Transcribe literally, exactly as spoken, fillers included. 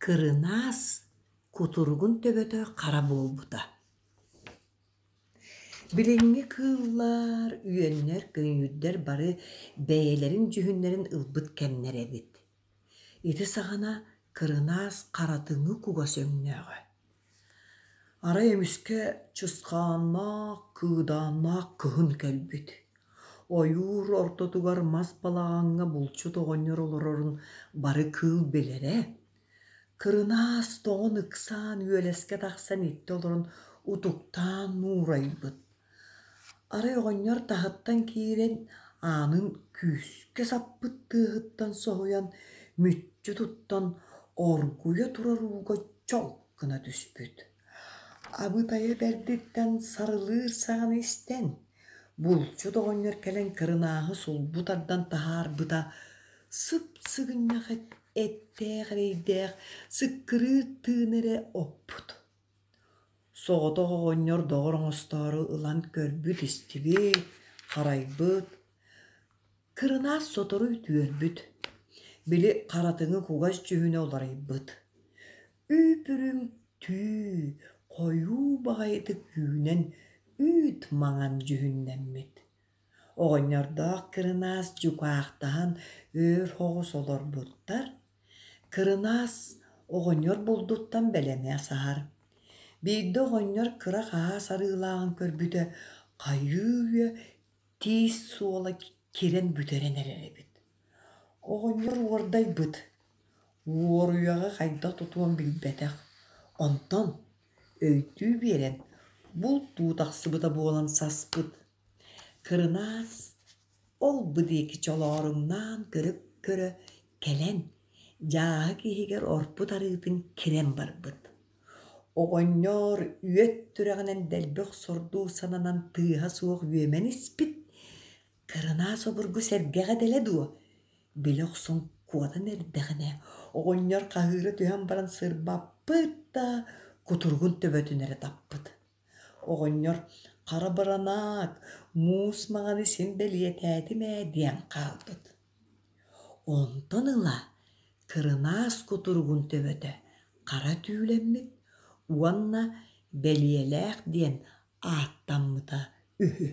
Кырынаас кутуругун төбөтө хара буолбута. Билиҥҥи кыыллар, үөннэр, көйүүрдэр бары бэйэлэрин дьүһүннэрин ылбыт кэмнэрэ эбит. Ити саҕана кырынаас харатыҥы кугас өҥнөөҕө. Арай эмискэ чысхааннаах, кыыдааннаах кыһын кэлбит. Ойуур ортотугар мас балаҕаҥҥа булчут оҕонньор олорорун бары кыыл билэрэ. Кырынаас тоҥон ыксаан үөлэскэ тахсан иттэ олорон утуктаан нуурайбыт. Арай оҕонньор таһыттан киирэн аанын күүскэ саппыт тыаһыттан соһуйан, мүччү туттан оргуйа турар ууга чолк гына түспүт. Абытайа бэрдиттэн сарылыыр саҥаны истэн, булчут оҕонньор кэлэн кырынааһы сулбу тардан таһаарбыта, сып-сыгынньах эттээх эрэйдээх сыккырыыр тыын эрэ оппут. Соҕотох оҕонньор доҕор оҥостоору ылан көрбүт-истибит, харайбыт, кырынаас сотору үтүөрбүт, били харатыҥы кугас дьүһүнэ уларыйбыт. Үүп-үрүҥ түү хойуу баҕайытык үүнэн үүт маҥан дьүһүннэммит. Оҕонньордоох кырынаас дьукаахтаһан өр соҕус олорбуттар. Кырынаас оҕонньор булдуттан бэлэмэ саһар. Биирдэ оҕонньор кыра хаһаас арыылааҕын көрбүтэ хайыы-үйэ тиис суола кирэн бүтэрэн эрэр эбит. Оҕонньор уордайбыт, уоруйаҕы хайдах тутуон билбэтэх. Онтон өйдүү биэрэн бултуу тахсыбыта буолан саспыт. Кырынаас ол-бу диэки чолооруҥнаан көрө-көрө кэлэн, дьааһык иһигэр орпут арыытын кирэн барбыт. Оҕонньор үөт түрэҕинэн дэлби охсордуу сананан тыаһа суох үөмэн испит. Кырынаас обургу сэргэҕэ дэлэ дуо, билэ охсон куотан эрдэҕинэ, оҕонньор хаһыыра түһэн баран сырбаппыт да, кутуругун төбөтүн эрэ таппыт. Оҕонньор хара баранаак, муус маҥаны син бэлиэтээтим ээ диэн хаалбыт. Онтон ыла кырынаас кутуругун төбөтө хара түүлэммит уонна бэлиэлээх диэн ааттаммыта үһү.